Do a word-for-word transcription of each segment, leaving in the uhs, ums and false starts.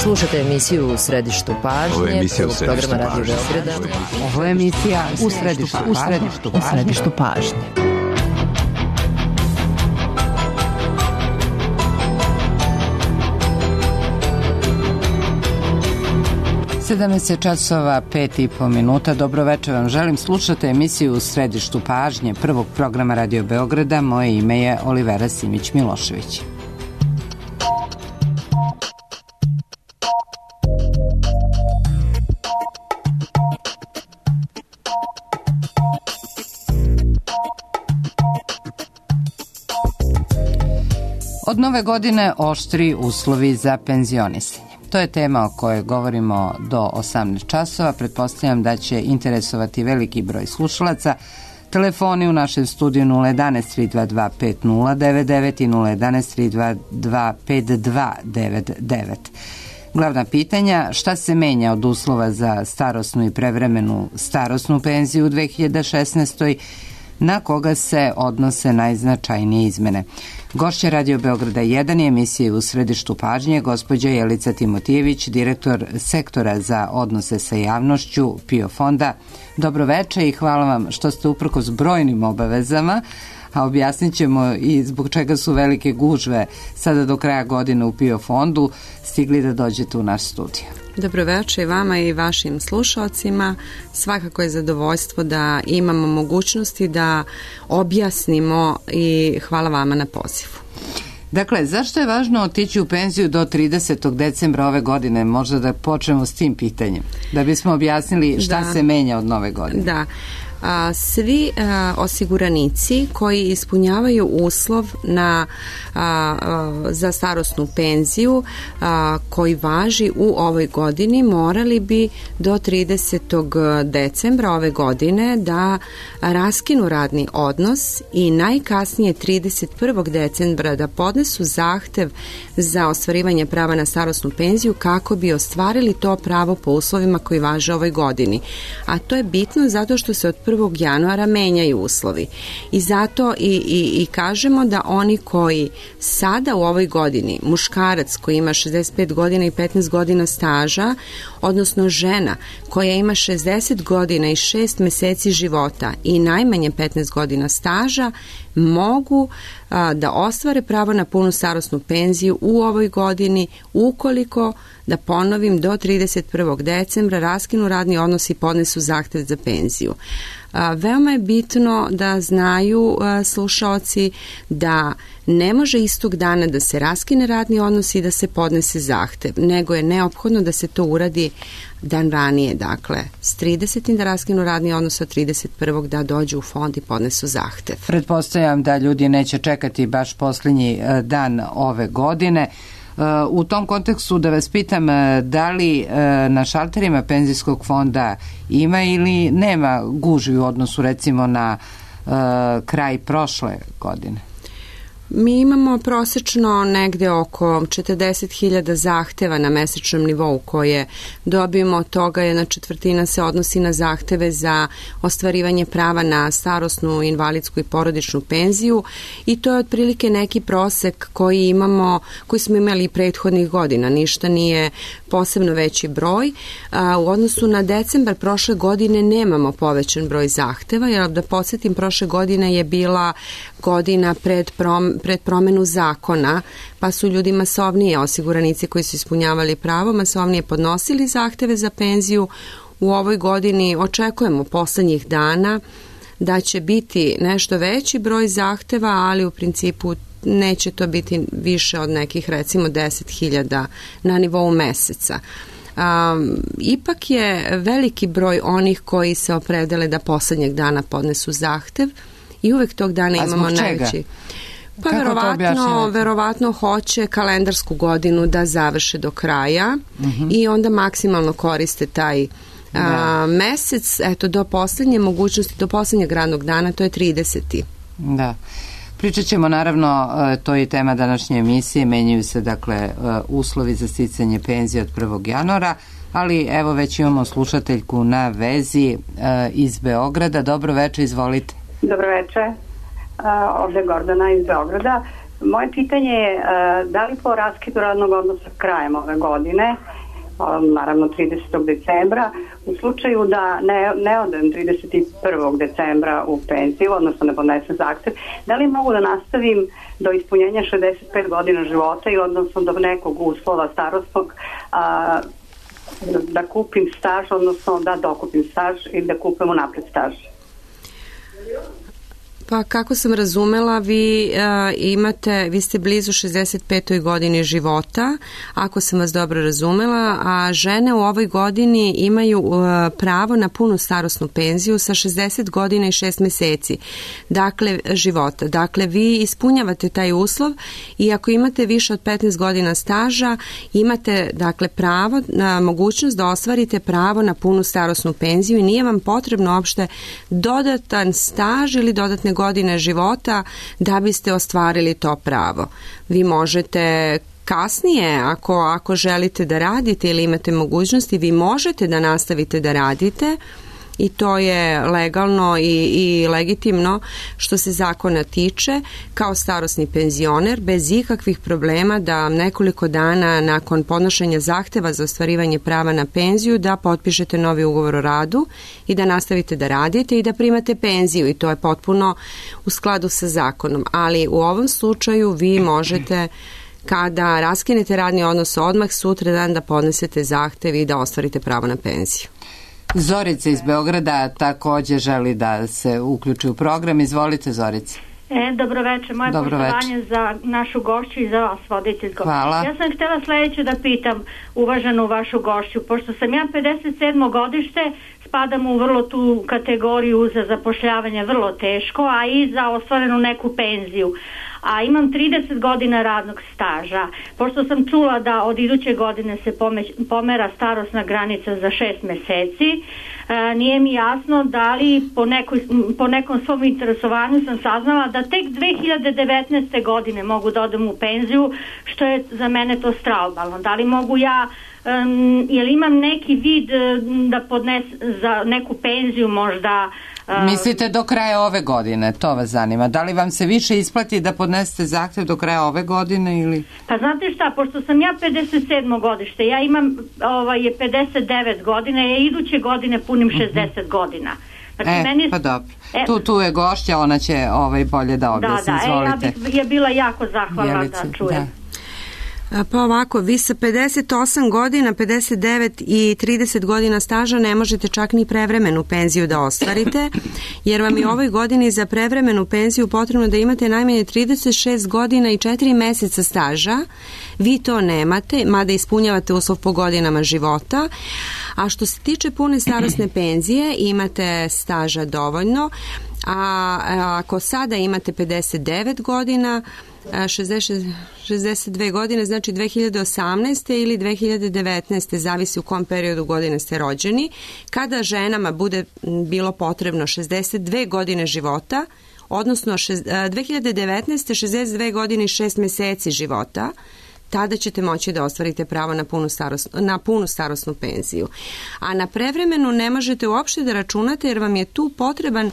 Slušajte emisiju U središtu pažnje. Ovo je emisija U središtu programa Radio pažnje. Beograda. Ovo je emisija U središtu, u središtu, u središtu pažnje. sedamnaest časova, pet i po minuta. Dobro večer vam želim. Slušate emisiju U središtu pažnje prvog programa Radio Beograda. Moje ime je Olivera Simić-Milošević. Od nove godine oštri uslovi za penzionisanje. To je tema o kojoj govorimo do osamnaest časova. Pretpostavljam da će interesovati veliki broj slušalaca. Telefoni u našem studiju nula jedan tri dva dva pet nula devet devet i nula jedan tri dva dva pet dva devet devet. Glavna pitanja: šta se menja od uslova za starosnu i prevremenu starosnu penziju u dve hiljade šesnaestoj. Na koga se odnose najznačajnije izmene? Gošća Radio Beograda jedan je emisije U središtu pažnje gospođa Jelica Timotijević, direktor sektora za odnose sa javnošću PIO fonda. Dobro večer i hvala vam što ste uprkos brojnim obavezama, a objasnit ćemo i zbog čega su velike gužve sada do kraja godine u PIO fondu, stigli da dođete u naš studio. Dobro večer i vama i vašim slušalcima. Svakako je zadovoljstvo da imamo mogućnosti da objasnimo i hvala vama na pozivu. Dakle, zašto je važno otići u penziju do tridesetog decembra ove godine? Možda da počnemo s tim pitanjem, da bismo objasnili šta da. se menja od nove godine. Da. A, svi a, osiguranici koji ispunjavaju uslov na, a, a, za starosnu penziju a, koji važi u ovoj godini morali bi do tridesetog decembra ove godine da raskinu radni odnos i najkasnije trideset prvog decembra da podnesu zahtev za ostvarivanje prava na starosnu penziju kako bi ostvarili to pravo po uslovima koji važe ovoj godini. A to je bitno zato što se od prvog januara menjaju uslovi i zato i, i, i kažemo da oni koji sada u ovoj godini, muškarac koji ima šezdeset pet godina i petnaest godina staža, odnosno žena koja ima šezdeset godina i šest meseci života i najmanje petnaest godina staža, mogu a, da ostvare pravo na punu starosnu penziju u ovoj godini ukoliko, da ponovim, do trideset prvog decembra raskinu radni odnos i podnesu zahtev za penziju. A, veoma je bitno da znaju a, slušaoci da ne može istog dana da se raskine radni odnos i da se podnese zahtev, nego je neophodno da se to uradi dan ranije, dakle s tridesetim da raskinu radni odnos, od trideset prvog da dođu u fond i podnesu zahtev. Pretpostavljam da ljudi neće čekati baš posljednji dan ove godine. U tom kontekstu da vas pitam, da li na šalterima penzijskog fonda ima ili nema gužvi u odnosu recimo na uh, kraj prošle godine? Mi imamo prosečno negde oko četrdeset hiljada zahteva na mesečnom nivou koje dobijemo. Od toga jedna četvrtina se odnosi na zahteve za ostvarivanje prava na starosnu, invalidsku i porodičnu penziju i to je otprilike neki prosek koji imamo, koji smo imali prethodnih godina. Ništa nije posebno veći broj. A, u odnosu na decembar prošle godine nemamo povećan broj zahteva, jer da podsjetim, prošle godine je bila godina pred, prom, pred promenu zakona, pa su ljudi masovnije, osiguranici koji su ispunjavali pravo, masovnije podnosili zahteve za penziju. U ovoj godini očekujemo poslednjih dana da će biti nešto veći broj zahteva, ali u principu neće to biti više od nekih recimo deset hiljada na nivou meseca. Um, ipak je veliki broj onih koji se opredele da poslednjeg dana podnesu zahtev i uvek tog dana imamo najveći. Pa verovatno, verovatno hoće kalendarsku godinu da završe do kraja uh-huh. i onda maksimalno koriste taj a, mesec, eto, do poslednje mogućnosti, do poslednjeg radnog dana, to je trideseti. Da. Pričat ćemo naravno, to je tema današnje emisije, menjaju se dakle uslovi za sticanje penzije od prvog januara, ali evo već imamo slušateljku na vezi iz Beograda. Dobro večer, izvolite. Dobro večer, ovde je Gordana iz Beograda. Moje pitanje je da li po raskidu radnog odnosa krajem ove godine, naravno tridesetog decembra, u slučaju da ne, ne odem trideset prvog decembra u penziju, odnosno ne podnesem zahtev, da li mogu da nastavim do ispunjenja šezdeset pet godina života i odnosno do nekog uslova starosnog a, da kupim staž, odnosno da dokupim staž i da kupim unapred staž? Pa kako sam razumela, vi uh, imate, vi ste blizu šezdeset petoj godini života, ako sam vas dobro razumela, a žene u ovoj godini imaju uh, pravo na punu starosnu penziju sa šezdeset godina i šest meseci, dakle života. Dakle, vi ispunjavate taj uslov i ako imate više od petnaest godina staža, imate dakle pravo na mogućnost da ostvarite pravo na punu starosnu penziju i nije vam potrebno uopšte dodatan staž ili dodatne godine života da biste ostvarili to pravo. Vi možete kasnije, ako, ako želite da radite ili imate mogućnosti, vi možete da nastavite da radite i to je legalno i, i legitimno što se zakona tiče kao starosni penzioner bez ikakvih problema da nekoliko dana nakon podnošenja zahteva za ostvarivanje prava na penziju da potpišete novi ugovor o radu i da nastavite da radite i da primate penziju i to je potpuno u skladu sa zakonom. Ali u ovom slučaju vi možete kada raskinete radni odnos odmah sutra dan da podnesete zahtev i da ostvarite pravo na penziju. Zorica iz Beograda takođe želi da se uključi u program. Izvolite, Zorica. E, dobro večer, moje dobro poštovanje večer. Za našu gošću i za vas, voditeljko. Hvala. Ja sam htjela sljedeće da pitam uvaženu vašu gošću, pošto sam ja pedeset sedmo godište, spadam u vrlo tu kategoriju za zapošljavanje vrlo teško, a i za ostvarenu neku penziju. A imam trideset godina radnog staža. Pošto sam čula da od iduće godine se pomera starosna granica za šest meseci, e, nije mi jasno da li po, nekoj, po nekom svom interesovanju sam saznala da tek dve hiljade devetnaeste. godine mogu da odem u penziju, što je za mene to straobalno. Da li mogu ja, um, jel imam neki vid da podnes za neku penziju možda. Mislite do kraja ove godine, to vas zanima. Da li vam se više isplati da podnesete zahtev do kraja ove godine ili? Pa znate šta, pošto sam ja pedeset sedmo godište, ja imam ovaj, je pedeset devet godina, ja iduće godine punim šezdeset uh-huh. godina. Znači, e, meni... pa dobro. E, tu, tu je gošća, ona će ovaj, bolje da objasni. Da, da, izvolite. E, ja bih je bila jako zahvalna Jelice, da čujem. Da. Pa ovako, vi sa pedeset osam godina, pedeset devet i trideset godina staža ne možete čak ni prevremenu penziju da ostvarite, jer vam je ovoj godini za prevremenu penziju potrebno da imate najmanje trideset šest godina i četiri meseca staža. Vi to nemate, mada ispunjavate uslov po godinama života. A što se tiče pune starosne penzije, imate staža dovoljno, a ako sada imate pedeset devet godina, šezdeset, šezdeset dve godine, znači dve hiljade osamnaeste. ili dve hiljade devetnaeste. zavisi u kom periodu godine ste rođeni. Kada ženama bude bilo potrebno šezdeset dve godine života, odnosno dve hiljade devetnaeste. šezdeset dve godine i šest meseci života, tada ćete moći da ostvarite pravo na punu, starosnu, na punu starosnu penziju. A na prevremenu ne možete uopšte da računate jer vam je tu potreban,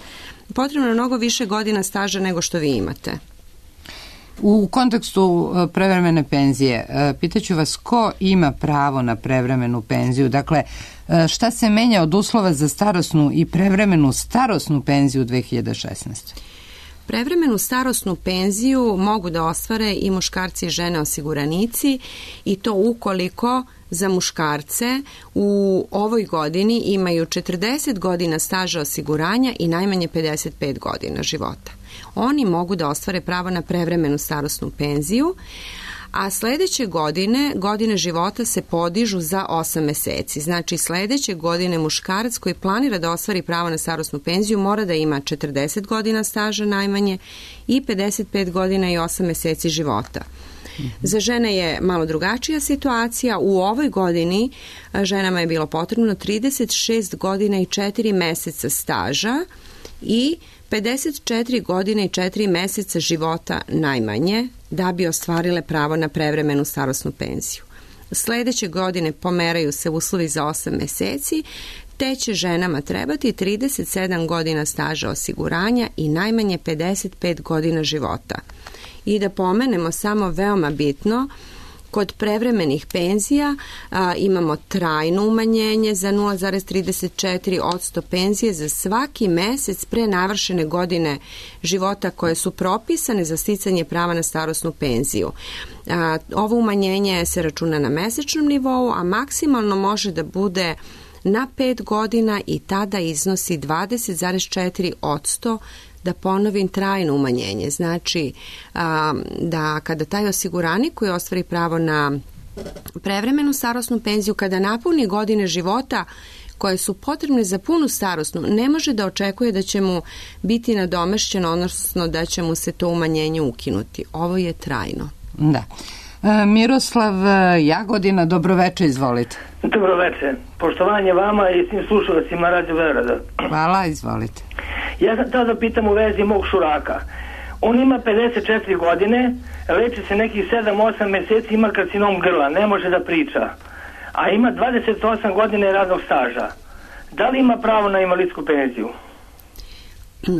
potrebno mnogo više godina staža nego što vi imate. U kontekstu prevremene penzije, pitaću vas ko ima pravo na prevremenu penziju? Dakle, šta se menja od uslova za starosnu i prevremenu starosnu penziju u dve hiljade šesnaestoj. Prevremenu starosnu penziju mogu da ostvare i muškarci i žene osiguranici i to ukoliko za muškarce u ovoj godini imaju četrdeset godina staža osiguranja i najmanje pedeset pet godina života. Oni mogu da ostvare pravo na prevremenu starosnu penziju, a sledeće godine, godine života se podižu za osam meseci. Znači sledeće godine muškarac koji planira da ostvari pravo na starosnu penziju mora da ima četrdeset godina staža najmanje i pedeset pet godina i osam meseci života. Za žene je malo drugačija situacija. U ovoj godini ženama je bilo potrebno trideset šest godina i četiri meseca staža i pedeset četiri godine i četiri meseca života najmanje da bi ostvarile pravo na prevremenu starosnu penziju. Sledeće godine pomeraju se uslovi za osam meseci, te će ženama trebati trideset sedam godina staža osiguranja i najmanje pedeset pet godina života. I da pomenemo samo veoma bitno, kod prevremenih penzija a, imamo trajno umanjenje za nula zarez trideset četiri posto penzije za svaki mesec pre navršene godine života koje su propisane za sticanje prava na starosnu penziju. A, ovo umanjenje se računa na mesečnom nivou, a maksimalno može da bude na pet godina i tada iznosi dvadeset zarez četiri posto. Da ponovim, trajno umanjenje. Znači a, da kada taj osiguranik koji ostvari pravo na prevremenu starosnu penziju, kada napuni godine života koje su potrebne za punu starosnu, ne može da očekuje da će mu biti nadomešćeno, odnosno da će mu se to umanjenje ukinuti. Ovo je trajno. Da. E, Miroslav Jagodina, dobroveče, izvolite. Dobroveče. Poštovanje vama i svim slušalcima Radio Beograda. Hvala, izvolite. Ja sam tada pitam u vezi mog šuraka. On ima pedeset četiri godine, leči se nekih sedam osam meseci, ima karcinom grla, ne može da priča, a ima dvadeset osam godine radnog staža. Da li ima pravo na invalidsku penziju?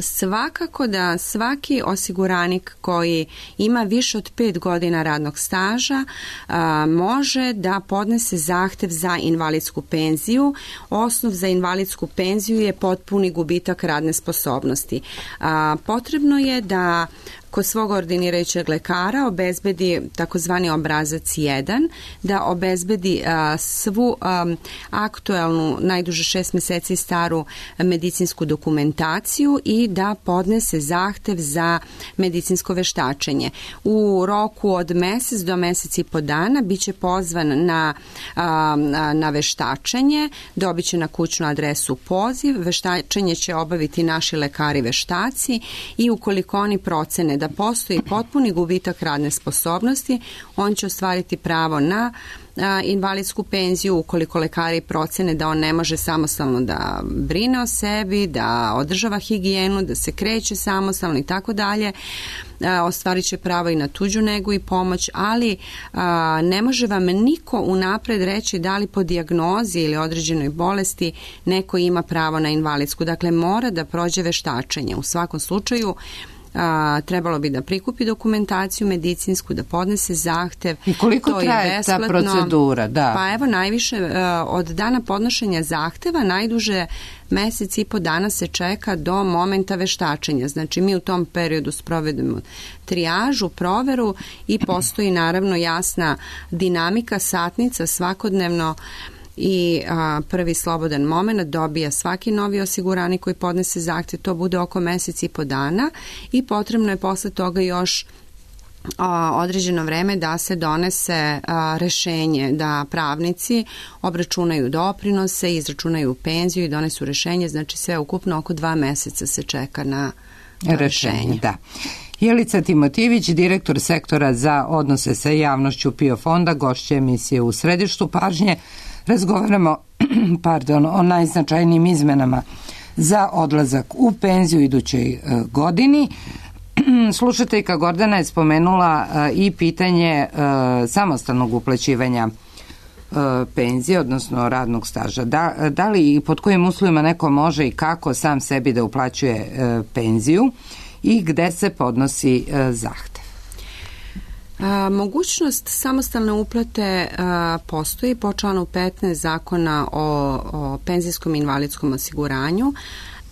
Svakako da svaki osiguranik koji ima više od pet godina radnog staža a, može da podnese zahtev za invalidsku penziju. Osnov za invalidsku penziju je potpuni gubitak radne sposobnosti. A, potrebno je da kod svog ordinirajućeg lekara obezbedi takozvani obrazac jedan, da obezbedi a, svu a, aktuelnu, najduže šest meseci staru medicinsku dokumentaciju i da podnese zahtev za medicinsko veštačenje. U roku od mesec do mesec i po dana biće pozvan na, a, na veštačenje, dobit će na kućnu adresu poziv, veštačenje će obaviti naši lekari veštaci i ukoliko oni procene da postoji potpuni gubitak radne sposobnosti, on će ostvariti pravo na a, invalidsku penziju. Ukoliko lekari procene da on ne može samostalno da brine o sebi, da održava higijenu, da se kreće samostalno i tako dalje, ostvarit će pravo i na tuđu negu i pomoć, ali a, ne može vam niko unapred reći da li po dijagnozi ili određenoj bolesti neko ima pravo na invalidsku. Dakle, mora da prođe veštačenje. U svakom slučaju A, trebalo bi da prikupi dokumentaciju medicinsku, da podnese zahtev. I koliko to traje ta procedura? Da. Pa evo, najviše a, od dana podnošenja zahteva, najduže mesec i po dana se čeka do momenta veštačenja. Znači, mi u tom periodu sprovedemo trijažu, proveru i postoji naravno jasna dinamika, satnica svakodnevno i a, prvi slobodan moment dobija svaki novi osiguranik koji podnese zahtev. To bude oko mesec i po dana i potrebno je posle toga još a, određeno vreme da se donese a, rešenje, da pravnici obračunaju doprinose, izračunaju penziju i donesu rešenje. Znači sve ukupno oko dva meseca se čeka na rešenje. rešenje. Da. Jelica Timotijević, direktor sektora za odnose sa javnošću PIO fonda, gošća emisije U središtu pažnje. Razgovaramo pardon, o najznačajnijim izmenama za odlazak u penziju idućoj godini. Slušateljka Gordana je spomenula i pitanje samostalnog uplaćivanja penzije, odnosno radnog staža. Da, da li i pod kojim uslovima neko može i kako sam sebi da uplaćuje penziju i gde se podnosi zahtev? A, mogućnost samostalne uplate a, postoji po članu petnaest Zakona o, o penzijskom i invalidskom osiguranju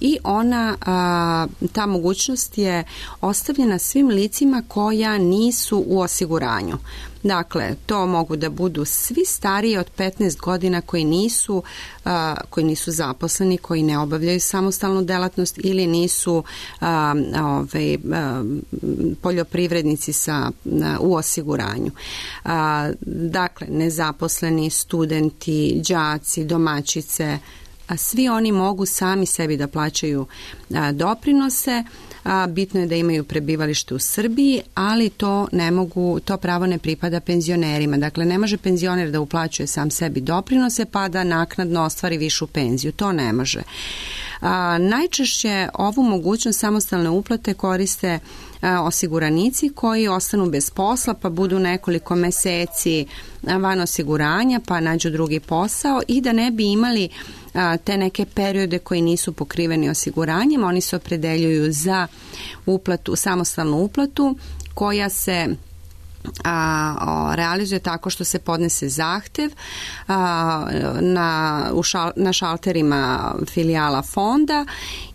i ona, a, ta mogućnost je ostavljena svim licima koja nisu u osiguranju. Dakle, to mogu da budu svi stariji od petnaest godina koji nisu, a, koji nisu zaposleni, koji ne obavljaju samostalnu delatnost ili nisu a, ove, a, poljoprivrednici sa, a, u osiguranju. A, dakle, nezaposleni, studenti, đaci, domaćice, a svi oni mogu sami sebi da plaćaju a, doprinose. A, bitno je da imaju prebivalište u Srbiji, ali to ne mogu, to pravo ne pripada penzionerima. Dakle, ne može penzioner da uplaćuje sam sebi doprinose pa da naknadno ostvari višu penziju. To ne može. A, najčešće ovu mogućnost samostalne uplate koriste a, osiguranici koji ostanu bez posla pa budu nekoliko meseci van osiguranja pa nađu drugi posao i da ne bi imali a, te neke periode koji nisu pokriveni osiguranjem, oni se opredeljuju za uplatu, samostalnu uplatu koja se A, o, realizuje tako što se podnese zahtev a, na, u šal, na šalterima filijala fonda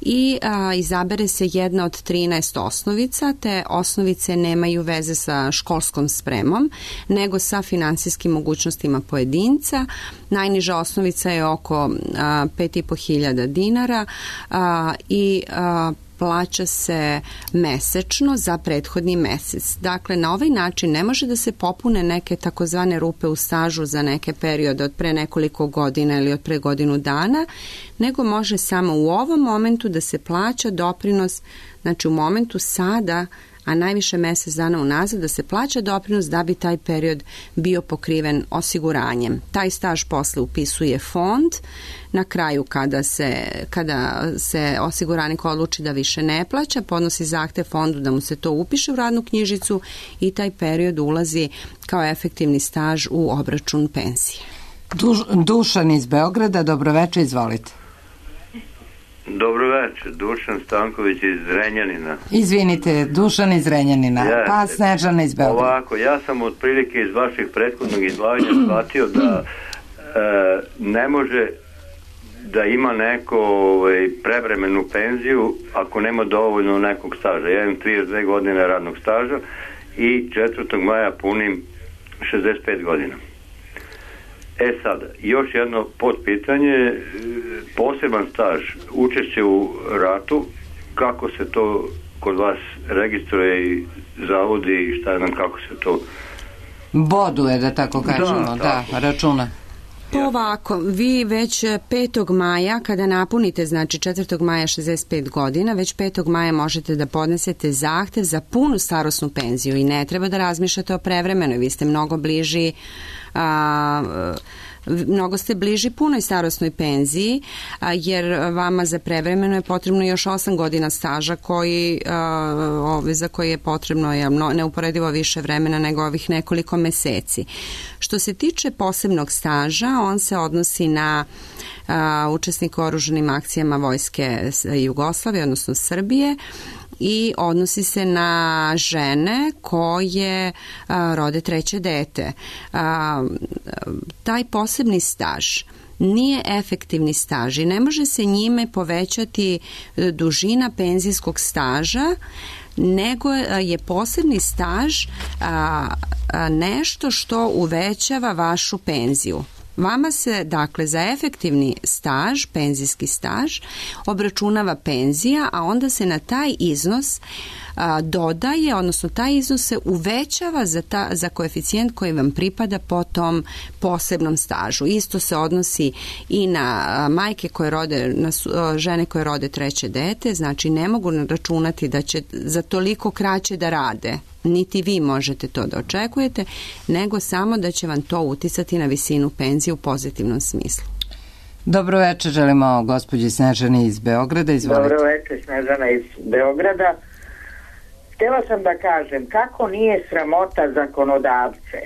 i a, izabere se jedna od trinaest osnovica. Te osnovice nemaju veze sa školskom spremom, nego sa finansijskim mogućnostima pojedinca. Najniža osnovica je oko pet i po hiljada dinara a, i a, plaća se mesečno za prethodni mesec. Dakle, na ovaj način ne može da se popune neke takozvane rupe u stažu za neke periode od pre nekoliko godina ili od pre godinu dana, nego može samo u ovom momentu da se plaća doprinos, znači u momentu sada, a najviše mesec dana unazad, da se plaća doprinos da bi taj period bio pokriven osiguranjem. Taj staž posle upisuje fond. Na kraju kada se, kada se osiguranik odluči da više ne plaća, podnosi zahtev fondu da mu se to upiše u radnu knjižicu i taj period ulazi kao efektivni staž u obračun penzije. Duš, Dušan iz Beograda, dobroveče, izvolite. Dobro večer, Dušan Stanković iz Zrenjanina. Izvinite, Dušan iz Zrenjanina, yes. Pa Snežana iz Beograda. Ovako, ja sam otprilike iz vaših prethodnog izlaganja shvatio da e, ne može da ima neko ovaj, prevremenu penziju ako nema dovoljno nekog staža. Ja imam trideset dve godine radnog staža i četvrtog maja punim šezdeset pet godina. E sad, još jedno podpitanje, poseban staž, učešće u ratu, kako se to kod vas registruje i zavodi i šta nam, kako se to boduje, da tako kažemo, da, da računa. Ovako, vi već petog maja, kada napunite, znači četvrtog maja šezdeset pet godina, već petog maja možete da podnesete zahtev za punu starosnu penziju i ne treba da razmišljate o prevremenoj, vi ste mnogo bliži a, mnogo ste bliži punoj starosnoj penziji, a, jer vama za prevremeno je potrebno još osam godina staža koji, a, ove, za koje je potrebno je neuporedivo više vremena nego ovih nekoliko meseci. Što se tiče posebnog staža, on se odnosi na a, učesnika u oružanim akcijama Vojske Jugoslavije, odnosno Srbije, i odnosi se na žene koje a, rode treće dete. A, taj posebni staž nije efektivni staž i ne može se njime povećati dužina penzijskog staža, nego je posebni staž a, a, nešto što uvećava vašu penziju. Vama se, dakle, za efektivni staž, penzijski staž, obračunava penzija, a onda se na taj iznos a, dodaje, odnosno taj iznos se uvećava za, ta, za koeficijent koji vam pripada po tom posebnom stažu. Isto se odnosi i na a, majke koje rode, na a, žene koje rode treće dete, znači ne mogu računati da će za toliko kraće da rade, niti vi možete to da očekujete, nego samo da će vam to uticati na visinu penzije u pozitivnom smislu. Dobro večer, želimo gospođi Snežani iz Beograda, izvolite. Dobro večer, Snežana iz Beograda. Htjela sam da kažem kako nije sramota zakonodavce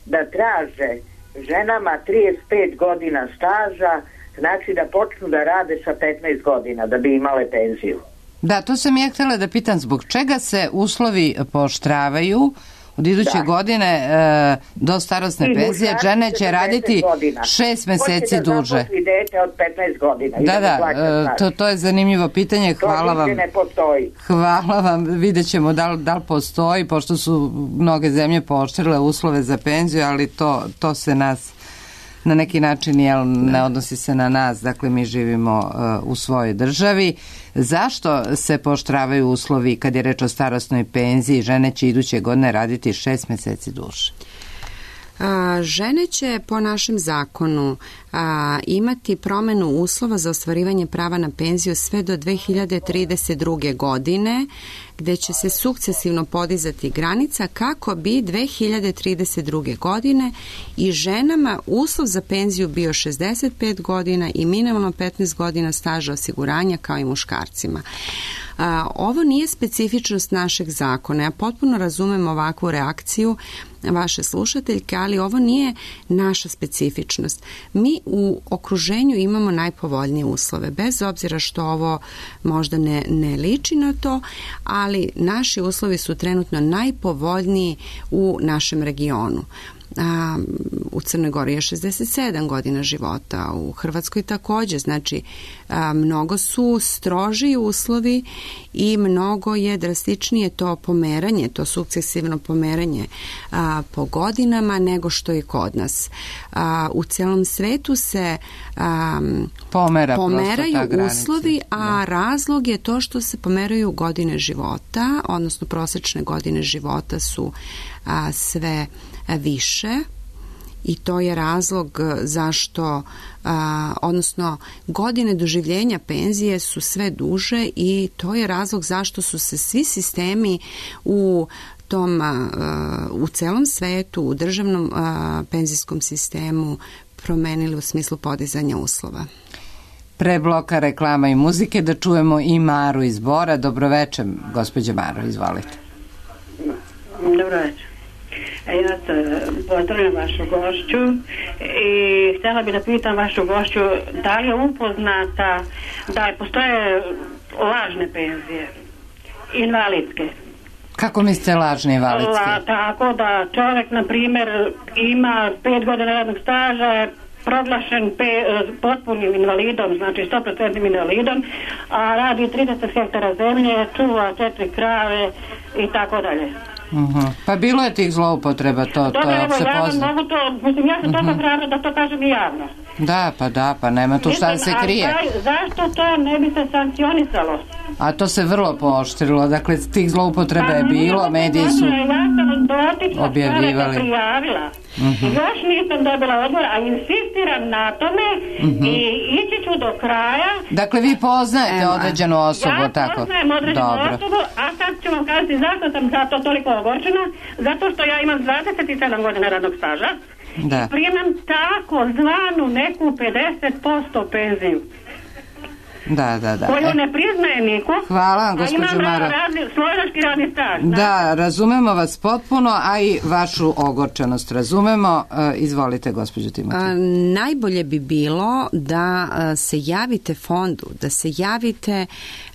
da traže ženama trideset pet godina staža, znači da počnu da rade sa petnaest godina da bi imale penziju. Da, to sam ja htjela da pitam, zbog čega se uslovi pooštravaju od iduće da. godine e, do starosne I penzije, žene će raditi šest meseci duže. Hoće da zaposli dete od petnaest godina. Da, da, e, to, to je zanimljivo pitanje. Hvala vam. To ne postoji. Hvala vam, vidjet ćemo da li, da li postoji, pošto su mnoge zemlje pooštrile uslove za penziju, ali to, to se nas na neki način jel, ne odnosi se na nas, dakle mi živimo uh, u svojoj državi. Zašto se pooštravaju uslovi kad je reč o starosnoj penziji? Žene će iduće godine raditi šest meseci duže. A, žene će po našem zakonu a, imati promenu uslova za ostvarivanje prava na penziju sve do dve hiljade trideset druge. godine, gde će se sukcesivno podizati granica kako bi dve hiljade trideset druge. godine i ženama uslov za penziju bio šezdeset pet godina i minimalno petnaest godina staža osiguranja kao i muškarcima. A, ovo nije specifičnost našeg zakona. Ja potpuno razumem ovakvu reakciju vaše slušateljke, ali ovo nije naša specifičnost. Mi u okruženju imamo najpovoljnije uslove, bez obzira što ovo možda ne, ne liči na to, ali naši uslovi su trenutno najpovoljniji u našem regionu. A, u Crnoj Gori je šezdeset sedam godina života, u Hrvatskoj također, znači a, mnogo su strožiji uslovi i mnogo je drastičnije to pomeranje, to sukcesivno pomeranje a, po godinama nego što je kod nas. A, u celom svetu se a, Pomera pomeraju uslovi, a da. razlog je to što se pomeraju godine života, odnosno prosječne godine života su a, sve više i to je razlog zašto, a, odnosno godine doživljenja penzije su sve duže i to je razlog zašto su se svi sistemi u tom, a, u celom svetu, u državnom a, penzijskom sistemu promenili u smislu podizanja uslova. Pre bloka reklama i muzike da čujemo i Maru iz Bora. Dobroveče, gospođo Maro, izvolite. Dobroveče. Ja se pozdravljam vašu gošću i htjela bih da pitam vašu gošću da li je upoznata da postoje lažne penzije, invalidske. Kako mislite lažne invalidske? La, tako da čovjek, na primjer, ima pet godina radnog staža, proglašen pe, potpunim invalidom, znači sto posto invalidom, a radi trideset hektara zemlje, čuva četiri krave i tako dalje. Uh-huh. Pa bilo je tih zloupotreba, to, Dobre, to je opšte ja poznato. Mogu to, mislim, ja sam uh-huh. toga hrabra da to kažem i javno. Da, pa da, pa nema tu šta da se krije. A zašto to ne bi se sankcionisalo? A to se vrlo pooštrilo, dakle tih zloupotreba je bilo, mediji su objavljivali. Prijavila. Uh-huh. Još nisam dobila odgovor, a insistiram na tome uh-huh. i ići ću do kraja. Dakle, vi poznajete Ema. određenu osobu, ja tako? Ja poznajem određenu Dobro. osobu, a sad ću vam kazati zašto sam za to toliko ogorčena, zato što ja imam dvadeset sedam godina radnog staža da. i primam tako zvanu neku pedeset posto penziju. Da, da, da. Koju ne priznaje niko. Hvala vam, gospođo Maro. A imam radni, slovenački radni staž. Da, da, razumemo vas potpuno, a i vašu ogorčenost razumemo. E, izvolite, gospođo Timotej. A, najbolje bi bilo da a, se javite fondu, da se javite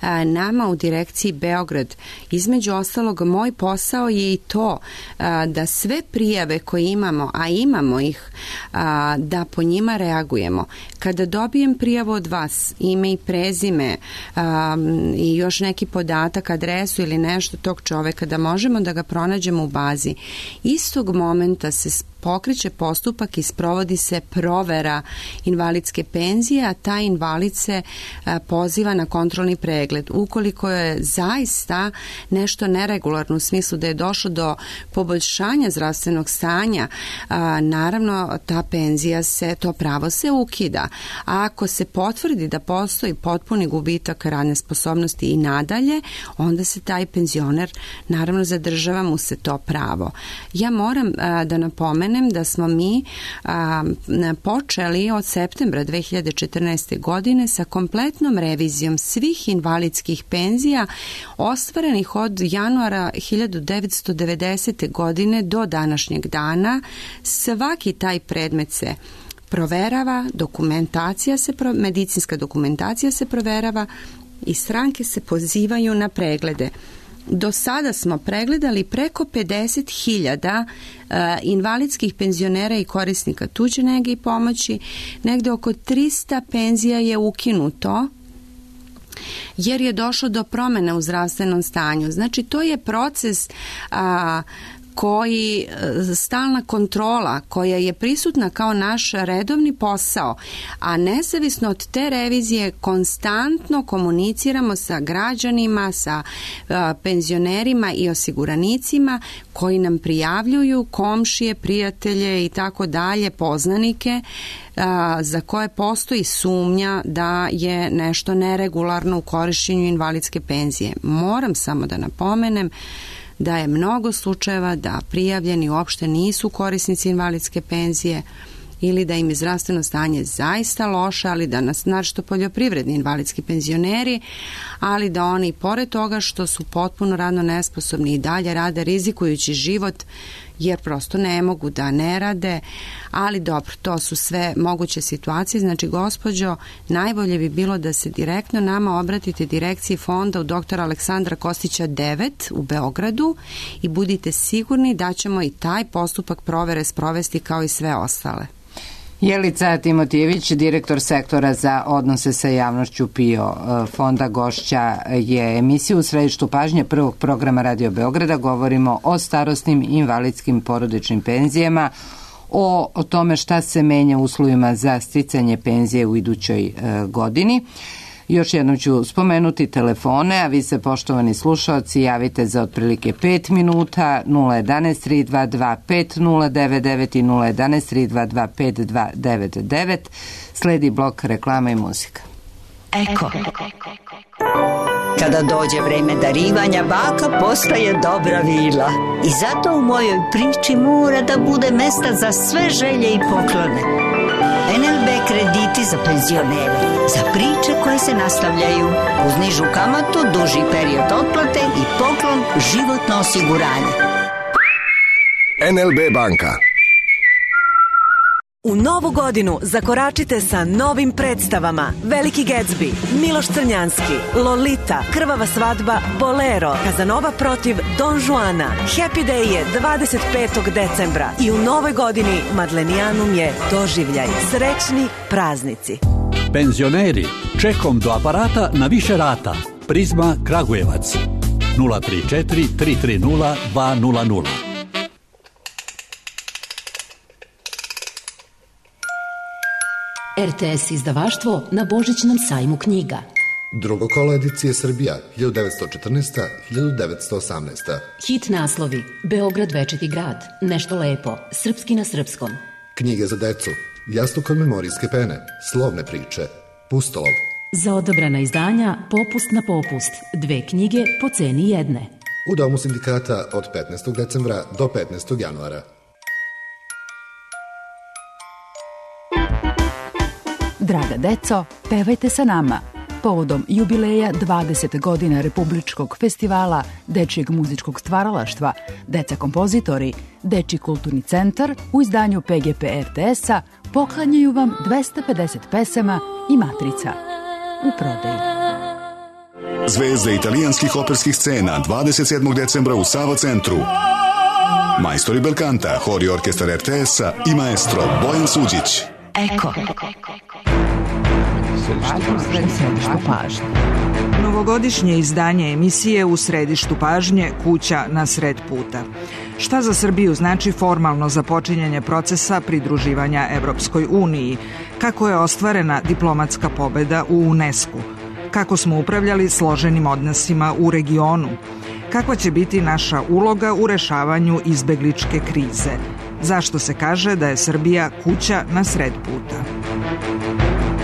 a, nama u direkciji Beograd. Između ostalog, moj posao je i to a, da sve prijave koje imamo, a imamo ih, a, da po njima reagujemo. Kada dobijem prijavu od vas, ime i prezime um, i još neki podatak, adresu ili nešto tog čoveka, da možemo da ga pronađemo u bazi, istog momenta se pokreće postupak i sprovodi se provera invalidske penzije, a taj invalid se a, poziva na kontrolni pregled. Ukoliko je zaista nešto neregularno u smislu da je došlo do poboljšanja zdravstvenog stanja, a, naravno ta penzija se, to pravo se ukida. A ako se potvrdi da postoji potpuni gubitak radne sposobnosti i nadalje, onda se taj penzioner, naravno zadržava mu se to pravo. Ja moram a, da napomenem da smo mi a, počeli od septembra dve hiljade četrnaeste. godine sa kompletnom revizijom svih invalidskih penzija ostvarenih od januara hiljadu devetsto devedesete. godine do današnjeg dana. Svaki taj predmet se proverava, dokumentacija se, medicinska dokumentacija se proverava i stranke se pozivaju na preglede. Do sada smo pregledali preko pedeset hiljada uh, invalidskih penzionera i korisnika tuđe nege i pomoći. Negde oko trista penzija je ukinuto jer je došlo do promjena u zdravstvenom stanju. Znači, to je proces uh, koji, stalna kontrola koja je prisutna kao naš redovni posao, a nezavisno od te revizije konstantno komuniciramo sa građanima, sa uh, penzionerima i osiguranicima koji nam prijavljuju komšije, prijatelje i tako dalje, poznanike uh, za koje postoji sumnja da je nešto neregularno u korišćenju invalidske penzije. Moram samo da napomenem da je mnogo slučajeva da prijavljeni uopšte nisu korisnici invalidske penzije ili da im je zdravstveno stanje zaista loše, ali da nas, našto poljoprivredni invalidski penzioneri, ali da oni pored toga što su potpuno radno nesposobni i dalje rade rizikujući život, jer prosto ne mogu da ne rade, ali dobro, to su sve moguće situacije. Znači, gospođo, najbolje bi bilo da se direktno nama obratite direkciji fonda u doktora Aleksandra Kostića devet u Beogradu i budite sigurni da ćemo i taj postupak provere sprovesti kao i sve ostale. Jelica Timotijević, direktor sektora za odnose sa javnošću PIO fonda, gošća je emisiju u središtu pažnje prvog programa Radio Beograda. Govorimo o starosnim invalidskim porodičnim penzijama, o, o tome šta se menja u uslovima za sticanje penzije u idućoj e, godini. Još jednom ću spomenuti telefone, a vi se, poštovani slušaoci, javite za otprilike pet minuta, nula jedanaest tri dva dva pet nula devet devet i nula jedanaest tri dva dva pet dva devet devet. Sledi blok reklama i muzika. Eko. Kada dođe vreme darivanja, baka postaje dobra vila. I zato u mojoj priči mora da bude mesta za sve želje i poklone. en el be krediti za penzionere, za priče koje se nastavljaju, uz nižu kamatu, duži period otplate i poklon životno osiguranje. en el be banka. U novu godinu zakoračite sa novim predstavama: Veliki Gatsby, Miloš Crnjanski, Lolita, Krvava svadba, Bolero, Kazanova protiv Don Juana. Happy Day je dvadeset petog decembra i u novoj godini Madlenijanum je doživljaj. Srećni praznici. Penzioneri, čekom do aparata na više rata. Prizma Kragujevac nula tri četiri tri tri nula dva nula nula. er te es izdavaštvo na Božićnom sajmu knjiga. Drugo kolo edicije Srbija, hiljadu devetsto četrnaesta do hiljadu devetsto osamnaesta. Hit naslovi: Beograd večiti grad, Nešto lepo, Srpski na srpskom. Knjige za decu, Jastuk od memorijske pene, Slovne priče, Pustolov. Za odabrana izdanja Popust na popust, dve knjige po ceni jedne. U Domu sindikata od petnaestog decembra do petnaestog januara. Draga deco, pevajte sa nama. Povodom jubileja dvadeset godina Republičkog festivala dečijeg muzičkog stvaralaštva, Deca kompozitori, Dečiji kulturni centar u izdanju pe ge pe er te es-a poklanjaju vam dvesta pedeset pesama i matrica u prodaji. Zvezde italijanskih operskih scena dvadeset sedmog decembra u Sava centru. Majstori belkanta, hor i orkestar er te es-a i maestro Bojan Suđić. Eko. Središtu pažnje. Novogodišnje izdanje emisije U središtu pažnje, kuća na sred puta. Šta za Srbiju znači formalno započinjanje procesa pridruživanja Evropskoj uniji? Kako je ostvarena diplomatska pobeda u unesko? Kako smo upravljali složenim odnosima u regionu? Kakva će biti naša uloga u rešavanju izbegličke krize? Zašto se kaže da je Srbija kuća na sred puta?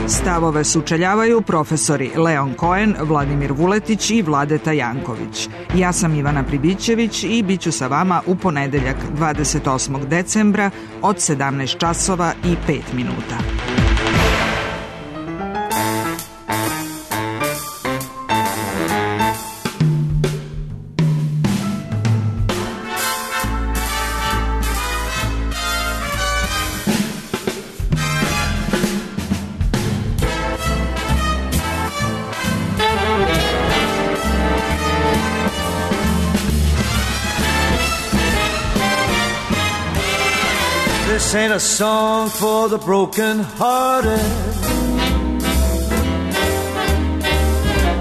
Stavove sučeljavaju profesori Leon Cohen, Vladimir Vuletić i Vladeta Janković. Ja sam Ivana Pribićević i bit ću sa vama u ponedeljak dvadeset osmog decembra od sedamnaest časova i pet minuta. This ain't a song for the broken-hearted.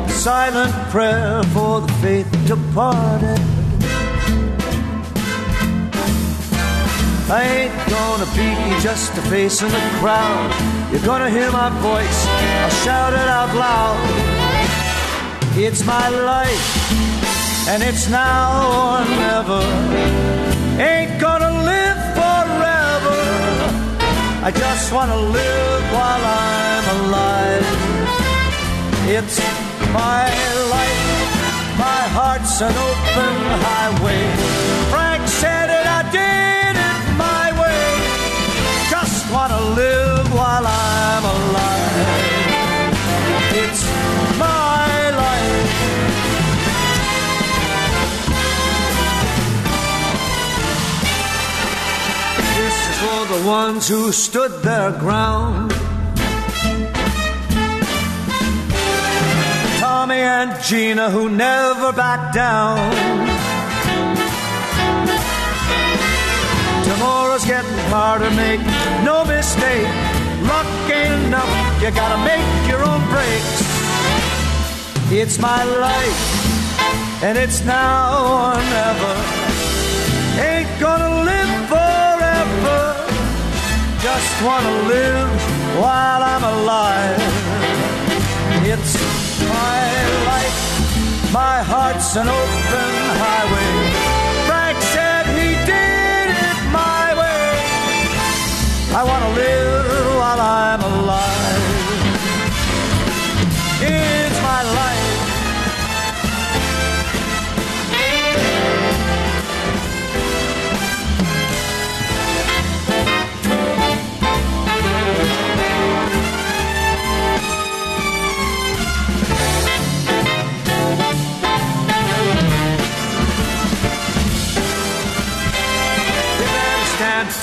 Silent prayer for the faith departed. I ain't gonna be just a face in the crowd. You're gonna hear my voice, I'll shout it out loud. It's my life, and it's now or never. Ain't gonna live forever. I just wanna live while I'm alive. It's my life, my heart's an open highway. Frank said it, I did it my way. Just wanna for the ones who stood their ground. Tommy and Gina who never backed down. Tomorrow's getting harder, make no mistake. Luck ain't enough, you gotta make your own breaks. It's my life, and it's now or never. Ain't gonna live forever, just wanna live while I'm alive. It's my life, my heart's an open highway. Frank said he did it my way. I wanna live while I'm alive. It's my life.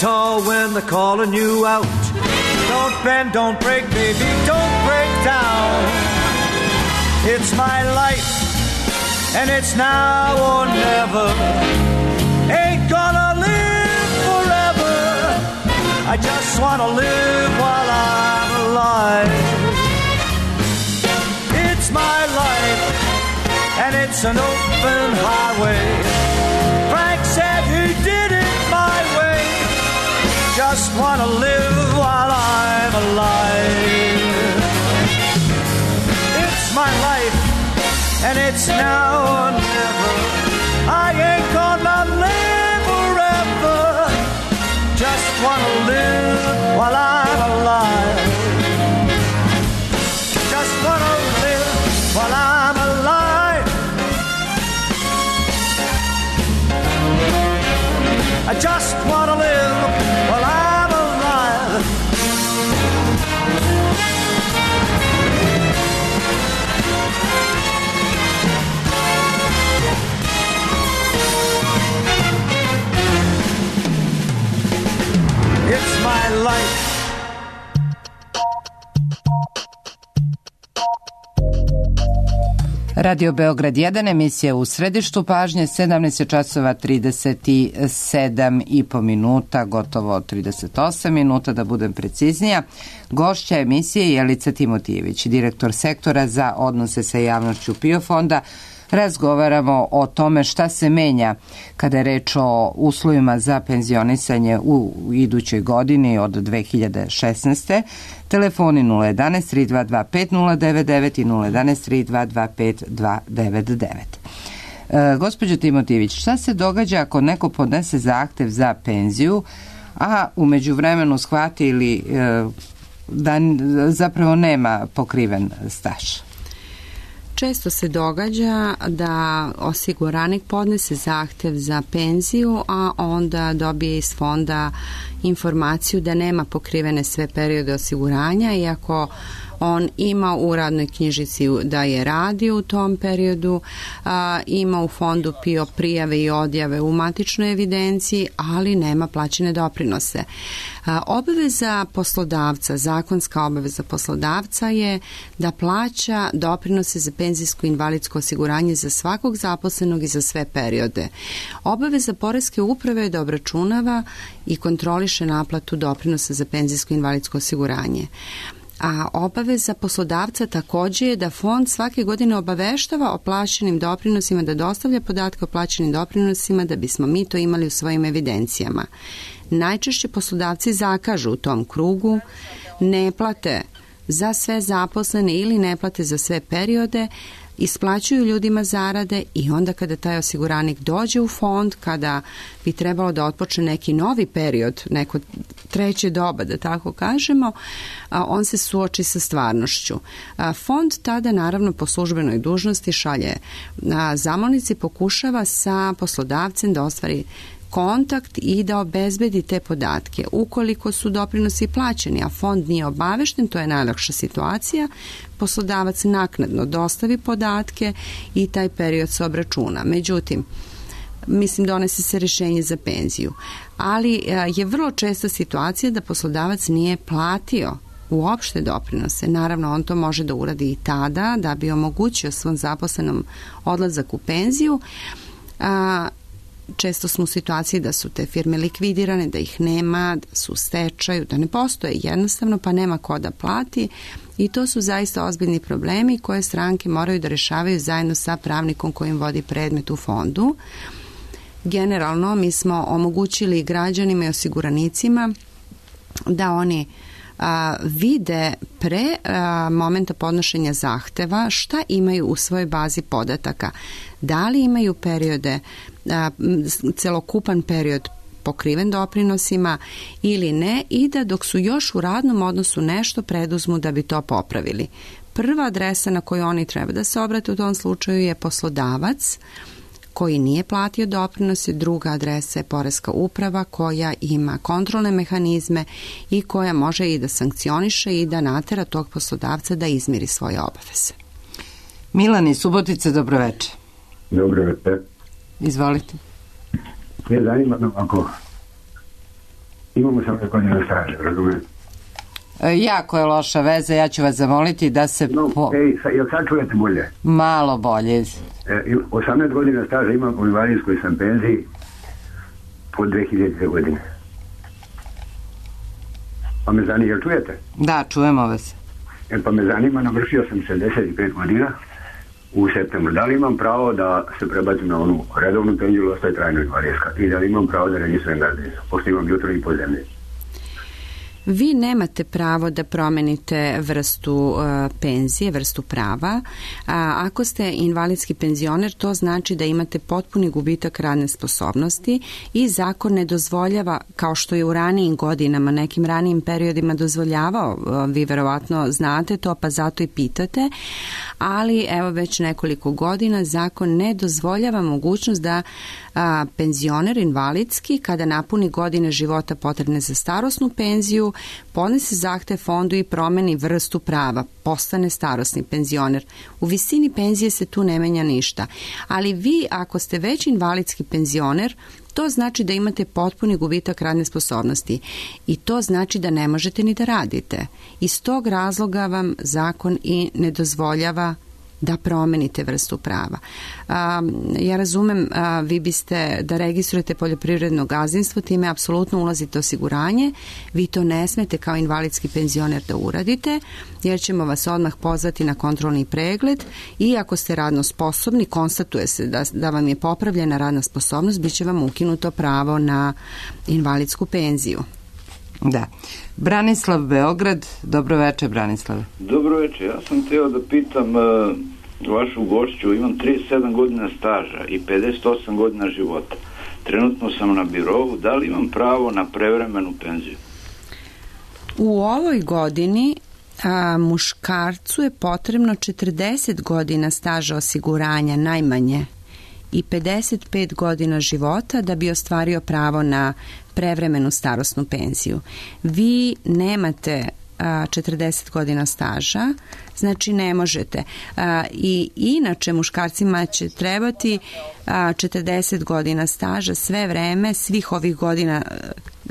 Tall when they're calling you out. Don't bend, don't break, baby, don't break down. It's my life, and it's now or never. Ain't gonna live forever, I just wanna live while I'm alive. It's my life, and it's an open highway. Frank said he did it my way. Just wanna live while I'm alive. It's my life, and it's now or never. I ain't gonna live forever. Just wanna live while I'm alive. Just wanna live while I'm alive. I just wanna live while I'm alive. It's my life. Radio Beograd jedan, emisija u središtu pažnje, sedamnaest časova trideset sedam i po minuta, gotovo trideset osam minuta da budem preciznija. Gošća emisije Jelica Timotijević, direktor sektora za odnose sa javnošću PIO fonda. Razgovaramo o tome šta se menja kada je reč o uslovima za penzionisanje u idućoj godini od dve hiljade šesnaeste. Telefoni nula jedan tri dva dva pet nula devet devet i nula jedan tri dva dva pet dva devet devet. E, gospođo Timotijević, šta se događa ako neko podnese zahtev za penziju, a u međuvremenu shvati ili e, da zapravo nema pokriven staž? Često se događa da osiguranik podnese zahtev za penziju, a onda dobije iz fonda informaciju da nema pokrivene sve periode osiguranja, iako on ima u radnoj knjižici da je radio u tom periodu, a, ima u fondu PIO prijave i odjave u matičnoj evidenciji, ali nema plaćene doprinose. A, obaveza poslodavca, zakonska obaveza poslodavca je da plaća doprinose za penzijsko i invalidsko osiguranje za svakog zaposlenog i za sve periode. Obaveza poreske uprave je da obračunava i kontroliše naplatu doprinosa za penzijsko i invalidsko osiguranje. A obaveza poslodavca također je da fond svake godine obaveštava o plaćenim doprinosima, da dostavlja podatke o plaćenim doprinosima da bismo mi to imali u svojim evidencijama. Najčešće poslodavci zakažu u tom krugu, ne plate za sve zaposlene ili ne plate za sve periode, isplaćuju ljudima zarade i onda kada taj osiguranik dođe u fond, kada bi trebalo da otpočne neki novi period, neko treće doba, da tako kažemo, on se suoči sa stvarnošću. Fond tada naravno po službenoj dužnosti šalje zamolnici, pokušava sa poslodavcem da ostvari kontakt i da obezbedi te podatke. Ukoliko su doprinosi plaćeni, a fond nije obavešten, to je najlakša situacija, poslodavac naknadno dostavi podatke i taj period se obračuna. Međutim, mislim, donese se rješenje za penziju. Ali je vrlo česta situacija da poslodavac nije platio uopšte doprinose. Naravno, on to može da uradi i tada da bi omogućio svom zaposlenom odlazak u penziju. A, često smo u situaciji da su te firme likvidirane, da ih nema, da su u stečaju, da ne postoje jednostavno, pa nema ko da plati i to su zaista ozbiljni problemi koje stranke moraju da rešavaju zajedno sa pravnikom kojim vodi predmet u fondu. Generalno, mi smo omogućili građanima i osiguranicima da oni a, vide pre a, momenta podnošenja zahteva šta imaju u svojoj bazi podataka. Da li imaju periode, a, celokupan period pokriven doprinosima ili ne i da dok su još u radnom odnosu nešto preduzmu da bi to popravili. Prva adresa na koju oni treba da se obrate u tom slučaju je poslodavac koji nije platio doprinose, druga adresa je Poreska uprava koja ima kontrolne mehanizme i koja može i da sankcioniše i da natera tog poslodavca da izmiri svoje obaveze. Milan iz Subotice, dobroveče. Dobroveče. Izvolite. Ne zanima me ako imamo samo godina staža, razumijem? E, jako je loša veza, ja ću vas zamoliti da se... No, po... ej, sa, jel sad čujete bolje? Malo bolje. E, osamnaest godina staža imam u invalidskoj sam penziji po dve hiljadite godine. Pa me zanima, jel čujete? Da, čujemo vas. E, pa me zanima, navršio sam šezdeset pet godina u septembru. Da li imam pravo da se prebacim na onu redovnu penziju ili ostaje trajno invalidska? I da li imam pravo da registrujem gazdinstvo? Pošto imam jutro i po zemlji. Vi nemate pravo da promenite vrstu uh, penzije, vrstu prava. A, ako ste invalidski penzioner, to znači da imate potpuni gubitak radne sposobnosti i zakon ne dozvoljava, kao što je u ranijim godinama, nekim ranijim periodima dozvoljavao, uh, vi verovatno znate to, pa zato i pitate, ali evo već nekoliko godina zakon ne dozvoljava mogućnost da a, penzioner invalidski, kada napuni godine života potrebne za starosnu penziju, podnese zahtev fondu i promeni vrstu prava, postane starosni penzioner. U visini penzije se tu ne menja ništa. Ali vi, ako ste već invalidski penzioner, to znači da imate potpuni gubitak radne sposobnosti i to znači da ne možete ni da radite. Iz tog razloga vam zakon i ne dozvoljava da promenite vrstu prava. A, ja razumem, a, vi biste da registrujete poljoprivredno gazdinstvo, time apsolutno ulazite osiguranje, vi to ne smete kao invalidski penzioner da uradite, jer ćemo vas odmah pozvati na kontrolni pregled i ako ste radno sposobni, konstatuje se da, da vam je popravljena radna sposobnost, bit će vam ukinuto pravo na invalidsku penziju. Da. Branislav, Beograd. Dobroveče, Branislave. Dobroveče. Ja sam htio da pitam uh, vašu gošću. Imam trideset sedam godina staža i pedeset osam godina života. Trenutno sam na birovu. Da li imam pravo na prevremenu penziju? U ovoj godini a, muškarcu je potrebno četrdeset godina staža osiguranja najmanje i pedeset pet godina života da bi ostvario pravo na prevremenu starosnu penziju. Vi nemate a, četrdeset godina staža, znači ne možete. A, I inače muškarcima će trebati a, četrdeset godina staža sve vreme, svih ovih godina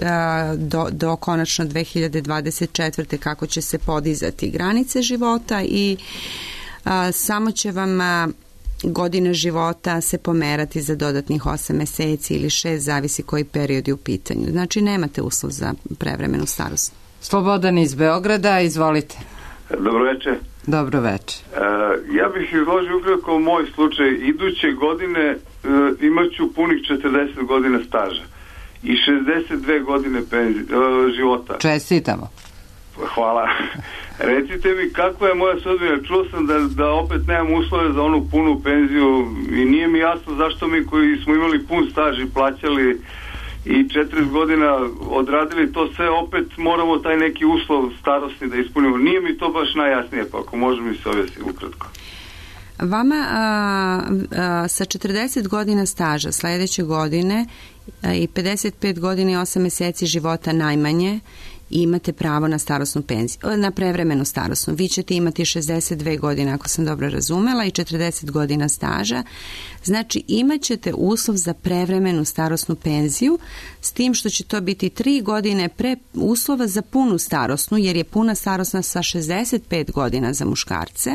a, do, do konačno dve hiljade dvadeset četvrte kako će se podizati granice života i a, samo će vam a, godine života se pomerati za dodatnih osam meseci ili šest, zavisi koji period je u pitanju. Znači nemate uslov za prevremenu starost. Slobodan iz Beograda, izvolite. Dobroveče. Dobroveče. E, ja bih izložio ukratko moj slučaj. Iduće godine e, imaću punih četrdeset godina staža i šezdeset dve godine penzi, e, života. Čestitamo. Hvala. Recite mi kakva je moja sudbina. Čuo sam da, da opet nemam uslove za onu punu penziju i nije mi jasno zašto mi koji smo imali pun staž i plaćali i četrdeset godina odradili to sve, opet moramo taj neki uslov starosni da ispunimo. Nije mi to baš najjasnije, pa ako može mi se objasniti ukratko. Vama a, a, sa četrdeset godina staža sledeće godine a, i pedeset pet godina i osam meseci života najmanje imate pravo na starosnu penziju, na prevremenu starosnu. Vi ćete imati šezdeset dve godine, ako sam dobro razumela, i četrdeset godina staža. Znači, imat ćete uslov za prevremenu starosnu penziju, s tim što će to biti tri godine pre uslova za punu starosnu, jer je puna starosna sa šezdeset pet godina za muškarce.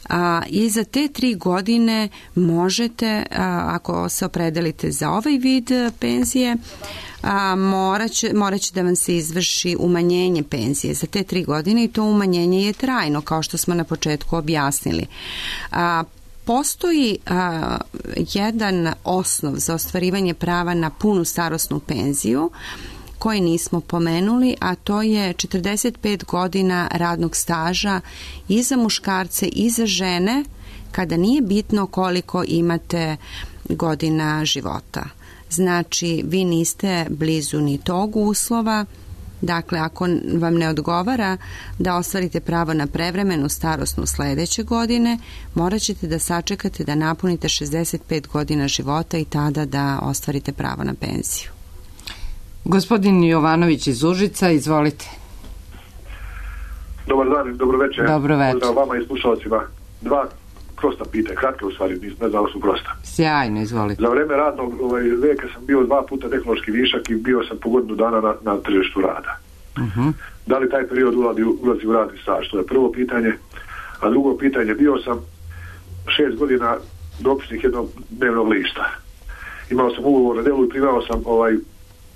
A, i za te tri godine možete, a, ako se opredelite za ovaj vid penzije, a, morat će, morat će da vam se izvrši umanjenje penzije za te tri godine i to umanjenje je trajno, kao što smo na početku objasnili. A, Postoji a, jedan osnov za ostvarivanje prava na punu starosnu penziju koji nismo pomenuli, a to je četrdeset pet godina radnog staža i za muškarce i za žene, kada nije bitno koliko imate godina života. Znači, vi niste blizu ni tog uslova. Dakle, ako vam ne odgovara da ostvarite pravo na prevremenu starosnu sledeće godine, morat ćete da sačekate da napunite šezdeset pet godina života i tada da ostvarite pravo na penziju. Gospodin Jovanović iz Užica, izvolite. Dobar dan, dobro večer. Dobro večer. Pozdrav vama i slušalcima. Dva prosta pitanja, kratke u stvari, ne znam da su prosta. Sjajno, izvolite. Za vreme radnog ovaj, veka sam bio dva puta tehnološki višak i bio sam po godinu dana na, na tržištu rada. Uh-huh. Da li taj period ulazi, ulazi u radni staž? To je prvo pitanje. A drugo pitanje, bio sam šest godina dopisnik jednog dnevnog lista. Imao sam ugovor na delu i primao sam ovaj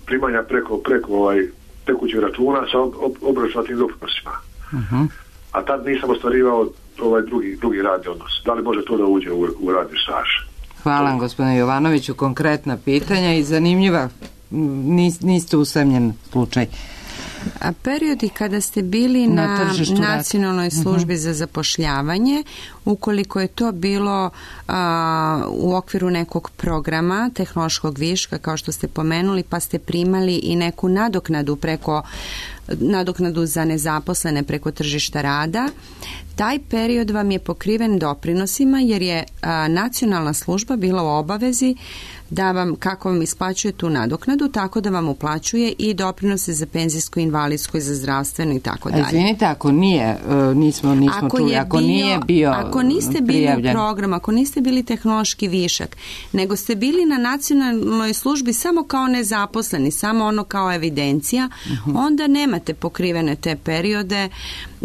primanja preko, preko ovaj, tekućeg računa sa ob, ob, obračunatim doprinosima. Uh-huh. A tad nisam ostvarivao ovaj drugi, drugi radni odnos. Da li može to da uđe u, u radni staž? Hvala vam, gospodine Jovanoviću. Konkretna pitanja i zanimljiva. Nis, niste usamljen slučaj. A periodi kada ste bili na, na nacionalnoj službi uh-huh. za zapošljavanje, ukoliko je to bilo a, u okviru nekog programa tehnološkog viška, kao što ste pomenuli, pa ste primali i neku nadoknadu preko nadoknadu za nezaposlene preko tržišta rada, taj period vam je pokriven doprinosima, jer je a, nacionalna služba bila u obavezi da vam, kako vam isplaćuje tu nadoknadu, tako da vam uplaćuje i doprinose za penzijsko, invalidsko i za zdravstveno i tako dalje. Izvinite, ako nije, nismo, nismo ako čuli, ako bio, nije bio Ako niste bili prijavljen. u programu, ako niste bili tehnološki višak, nego ste bili na nacionalnoj službi samo kao nezaposleni, samo ono kao evidencija, uh-huh. onda nemate pokrivene te periode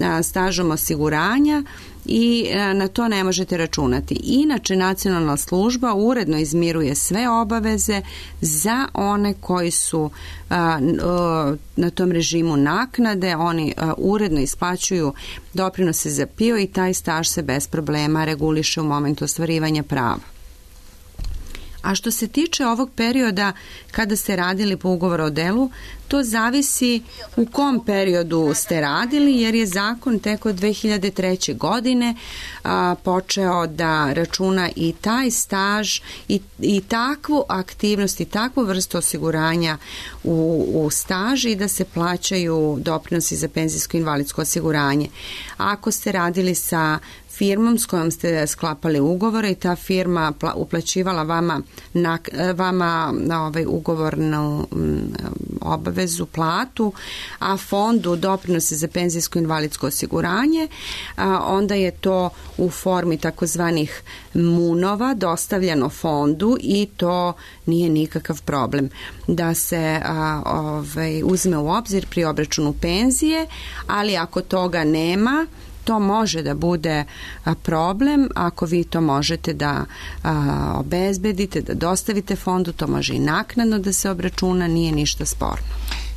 a, stažom osiguranja i na to ne možete računati. Inače, nacionalna služba uredno izmiruje sve obaveze za one koji su a, a, na tom režimu naknade, oni a, uredno isplaćuju doprinose za P I O i taj staž se bez problema reguliše u momentu ostvarivanja prava. A što se tiče ovog perioda kada ste radili po ugovoru o delu, to zavisi u kom periodu ste radili, jer je zakon tek od dve hiljade treće. godine a, počeo da računa i taj staž i, i takvu aktivnost i takvu vrstu osiguranja u, u staž i da se plaćaju doprinosi za penzijsko i invalidsko osiguranje. Ako ste radili sa firmom s kojom ste sklapali ugovore i ta firma uplaćivala vama na, vama na ovaj ugovornu obavezu, platu, a fondu doprinose za penzijsko invalidsko osiguranje, a onda je to u formi takozvanih munova dostavljeno fondu i to nije nikakav problem da se a, ovaj, uzme u obzir pri obračunu penzije, ali ako toga nema, to može da bude problem. Ako vi to možete da a, obezbedite, da dostavite fondu, to može i naknadno da se obračuna, nije ništa sporno.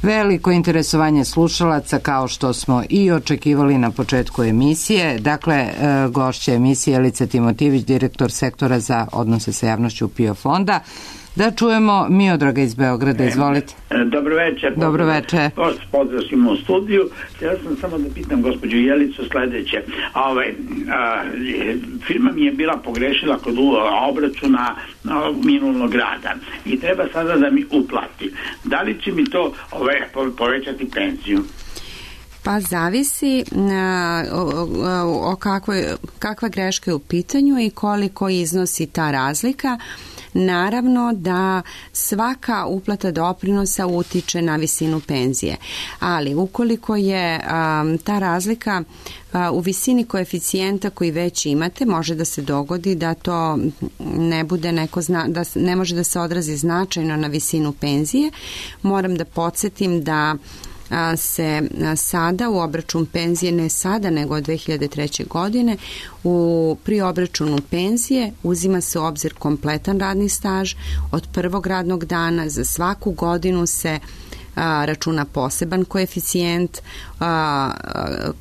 Veliko interesovanje slušalaca, kao što smo i očekivali na početku emisije. Dakle, gošća emisije Jelica Timotijević, direktor sektora za odnose sa javnošću P I O fonda. Da čujemo Miodraga iz Beograda, izvolite. Dobro večer. Dobro večer. Pozdrav svima u studiju. Ja sam samo da pitam gospođu Jelicu sledeće. Ove, a, firma mi je bila pogrešila kod obračuna a, minulog rada i treba sada da mi uplati. Da li će mi to ove, povećati penziju? Pa zavisi na, o, o, o kakvoj, kakva greška je u pitanju i koliko iznosi ta razlika. naravno da svaka uplata doprinosa utiče na visinu penzije. Ali ukoliko je um, ta razlika uh, u visini koeficijenta koji već imate, može da se dogodi da to ne bude neko zna, da ne može da se odrazi značajno na visinu penzije. Moram da podsjetim da se sada u obračun penzije, ne sada nego od dve hiljade treće. godine, u, pri obračunu penzije uzima se u obzir kompletan radni staž od prvog radnog dana. Za svaku godinu se a, računa poseban koeficijent a,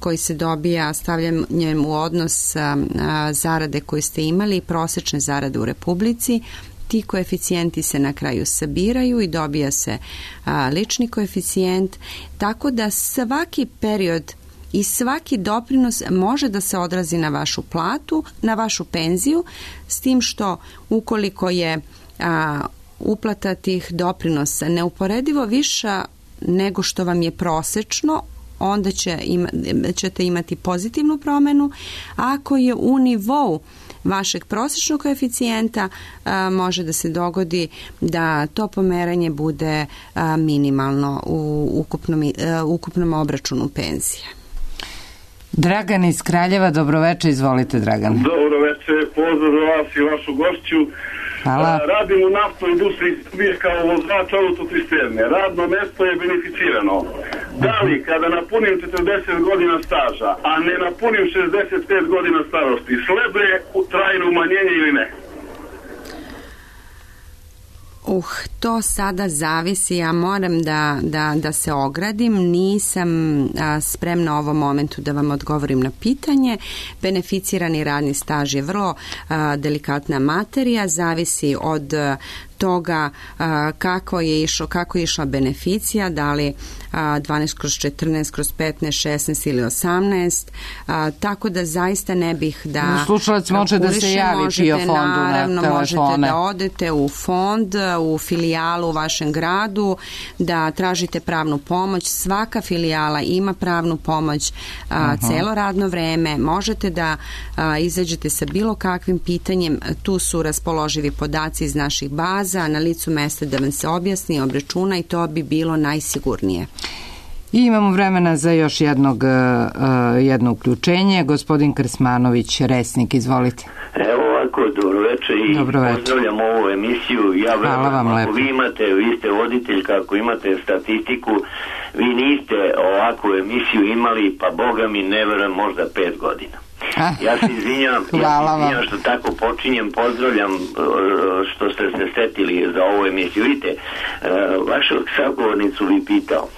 koji se dobija stavljanjem u odnos a, a, zarade koje ste imali i prosečne zarade u Republici. Ti koeficijenti se na kraju sabiraju i dobija se a, lični koeficijent, tako da svaki period i svaki doprinos može da se odrazi na vašu platu, na vašu penziju, s tim što ukoliko je a, uplata tih doprinosa neuporedivo viša nego što vam je prosečno, onda će ima, ćete imati pozitivnu promenu. Ako je u nivou vašeg prosječnog koeficijenta, a, može da se dogodi da to pomeranje bude a, minimalno u ukupnom, a, ukupnom obračunu penzije. Dragan iz Kraljeva, dobroveče, izvolite Dragan. Dobroveče, pozdrav za vas i vašu gošću. Hvala. Radim u naftnoj industriji Srbije kao vozač autocisterne. Radno mesto je beneficirano. Da li kada napunim četrdeset godina staža, a ne napunim šezdeset pet godina starosti, sleduje trajno umanjenje ili ne? Uh, to sada zavisi, ja moram da, da, da se ogradim, nisam a, spremna u ovom momentu da vam odgovorim na pitanje. Beneficirani radni staž je vrlo a, delikatna materija, zavisi od a, toga a, kako je išlo, kako je išla beneficija, da li a, dvanaest kroz četrnaest kroz petnaest, šesnaest ili osamnaest, a, tako da zaista ne bih da... Slušalac može da se javi PIO fondu naravno, na telefone. Možete da odete u fond, u filijalu u vašem gradu, da tražite pravnu pomoć. Svaka filijala ima pravnu pomoć a, uh-huh. celo radno vreme. Možete da a, izađete sa bilo kakvim pitanjem. Tu su raspoloživi podaci iz naših baza, na licu mesta da vam se objasni, obračuna i to bi bilo najsigurnije. I imamo vremena za još jednog, uh, jedno uključenje. Gospodin Krsmanović, Resnik, izvolite. Evo ovako, dobroveče i dobroveče. Pozdravljam ovu emisiju. Ja verujem, ako vi imate, vi ste voditeljka, ako imate statistiku, vi niste ovakvu emisiju imali, pa Boga mi ne verujem, možda pet godina. Ja se izvinjam, ja se izvinjam što tako počinjem, pozdravljam što ste se setili za ovu emisiju. Vidite, vašu sagovornicu vi pitao,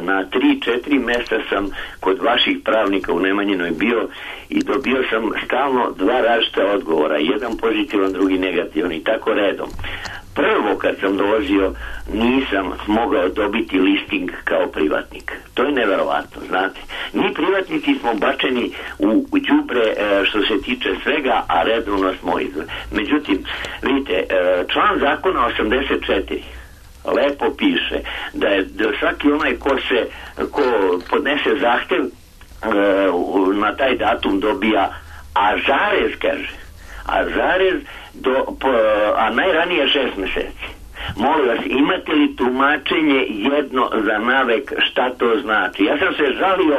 na tri četiri mjesta sam kod vaših pravnika u Nemanjinoj bio i dobio sam stalno dva različita odgovora, jedan pozitivan, drugi negativan i tako redom. Prvo kad sam dolazio nisam mogao dobiti listing kao privatnik. To je neverovatno, znate. Mi privatnici smo bačeni u, u đubre e, što se tiče svega, a redovno smo izveli. Međutim, vidite, e, član zakona osamdeset četiri lepo piše da je da svaki onaj ko se ko podnese zahtev e, na taj datum dobija, a zarez kaže, a zarez do, po, a najranije šest meseci. Molim vas, imate li tumačenje jedno za navek šta to znači? Ja sam se žalio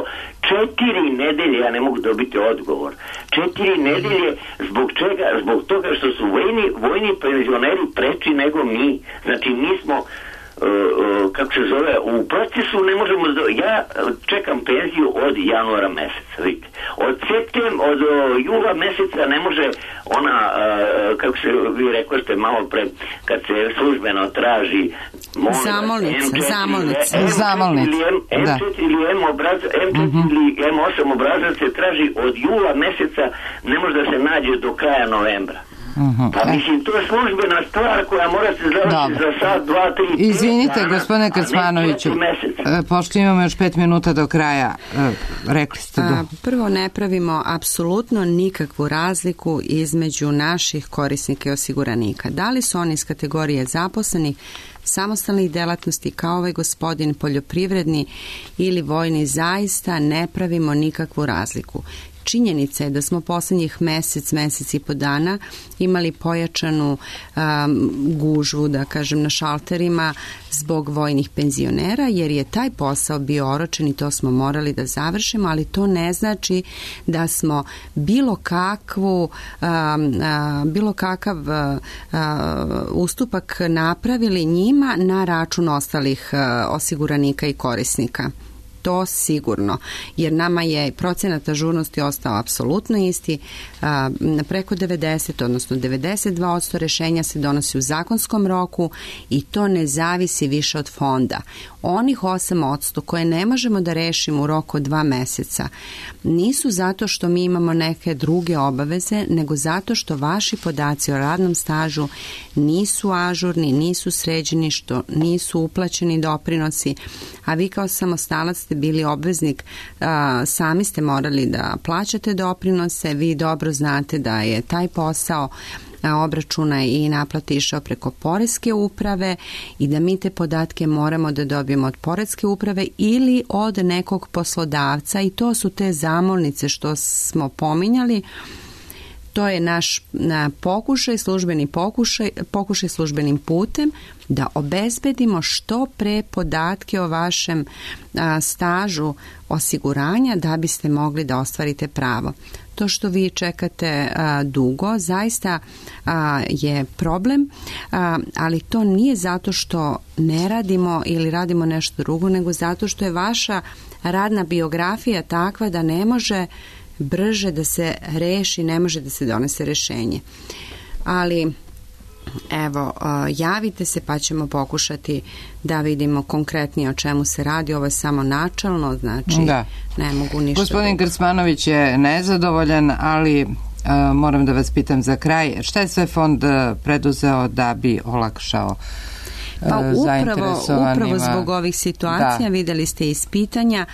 četiri nedelje, ja ne mogu dobiti odgovor. Četiri nedelje, zbog čega? Zbog toga što su vojni, vojni penzioneri preči nego mi. Znači mi smo Uh, uh, kako se zove, u procesu ne možemo do... ja čekam penziju od januara meseca, vidite. Od septem, od uh, jula meseca ne može ona, uh, kako se vi rekli ste malo pre, kad se službeno traži zamolnica, zamolnica, zamolnica, em četiri ili M obrazac, em četiri ili em osam obrazac se traži od jula meseca, ne može da se nađe do kraja novembra. Uh-huh. Pa mislim, to je službena stvar koja mora se završiti za sad, dva, tri, izvinite, gospodine Krsmanoviću, pošto imamo još pet minuta do kraja, rekli ste do... Prvo, ne pravimo apsolutno nikakvu razliku između naših korisnika i osiguranika. Da li su oni iz kategorije zaposlenih, samostalnih delatnosti kao ovaj gospodin, poljoprivredni ili vojni, zaista ne pravimo nikakvu razliku. činjenica je da smo poslednjih mesec, mesec i po dana imali pojačanu um, gužvu, da kažem, na šalterima zbog vojnih penzionera, jer je taj posao bio oročen i to smo morali da završimo, ali to ne znači da smo bilo kakvu um, uh, bilo kakav uh, uh, ustupak napravili njima na račun ostalih uh, osiguranika i korisnika. To sigurno, jer nama je procenat ažurnosti ostao apsolutno isti, a, preko devedeset, odnosno devedeset dva posto rešenja se donosi u zakonskom roku i to ne zavisi više od fonda. Onih osam posto koje ne možemo da rešimo u roku od dva meseca nisu zato što mi imamo neke druge obaveze, nego zato što vaši podaci o radnom stažu nisu ažurni, nisu sređeni, što nisu uplaćeni doprinosi, a vi kao samostalac ste bili obveznik, a, sami ste morali da plaćate doprinose, vi dobro znate da je taj posao obračuna i naplati išao preko poreske uprave i da mi te podatke moramo da dobijemo od poreske uprave ili od nekog poslodavca i to su te zamolnice što smo pominjali. To je naš na, pokušaj, službeni pokušaj, pokušaj službenim putem da obezbedimo što pre podatke o vašem a, stažu osiguranja da biste mogli da ostvarite pravo. To što vi čekate a, dugo zaista a, je problem, a, ali to nije zato što ne radimo ili radimo nešto drugo, nego zato što je vaša radna biografija takva da ne može brže da se reši, ne može da se donese rešenje. Ali evo, javite se pa ćemo pokušati da vidimo konkretnije o čemu se radi. Ovo je samo načalno, znači da. Ne mogu ništa. Gospodin Krcmanović je nezadovoljan, ali uh, moram da vas pitam za kraj, šta je sve fond preduzeo da bi olakšao Pa upravo, upravo zbog ovih situacija, da. Videli ste iz pitanja,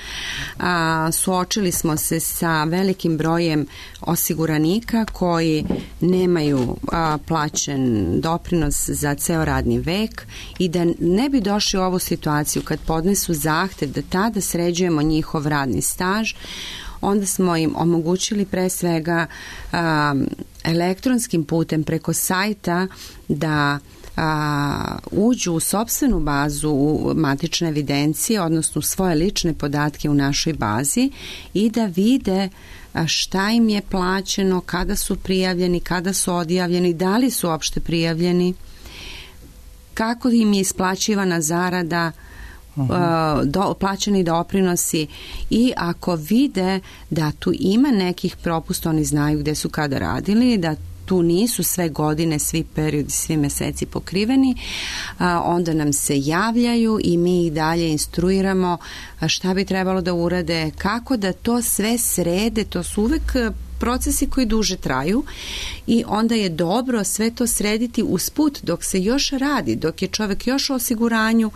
a, suočili smo se sa velikim brojem osiguranika koji nemaju a, plaćen doprinos za ceo radni vek i da ne bi došli u ovu situaciju kad podnesu zahtev da tada sređujemo njihov radni staž, onda smo im omogućili pre svega a, elektronskim putem preko sajta da A, uđu u sopstvenu bazu u matične evidencije, odnosno svoje lične podatke u našoj bazi i da vide šta im je plaćeno, kada su prijavljeni, kada su odjavljeni, da li su uopšte prijavljeni, kako im je isplaćivana zarada, uh-huh. do, plaćeni doprinosi i ako vide da tu ima nekih propusta, oni znaju gde su kada radili, da tu nisu sve godine, svi periodi, svi meseci pokriveni, a, onda nam se javljaju i mi ih dalje instruiramo šta bi trebalo da urade, kako da to sve srede, to su uvek procesi koji duže traju i onda je dobro sve to srediti usput dok se još radi, dok je čovek još u osiguranju,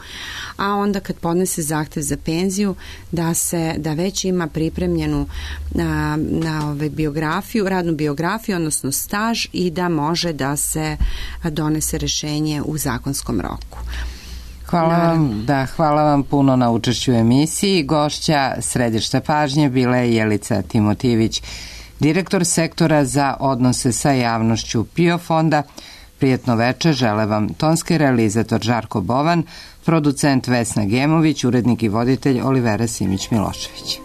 a onda kad podnese zahtev za penziju da se da već ima pripremljenu na, na ove biografiju, radnu biografiju, odnosno staž i da može da se donese rešenje u zakonskom roku. Hvala vam, da, hvala vam puno na učešću u emisiji. Gošća središta pažnje bila je Jelica Timotijević, direktor sektora za odnose sa javnošću P I O fonda. Prijetno veče žele vam tonski realizator Žarko Bovan, producent Vesna Gemović, urednik i voditelj Olivera Simić-Milošević.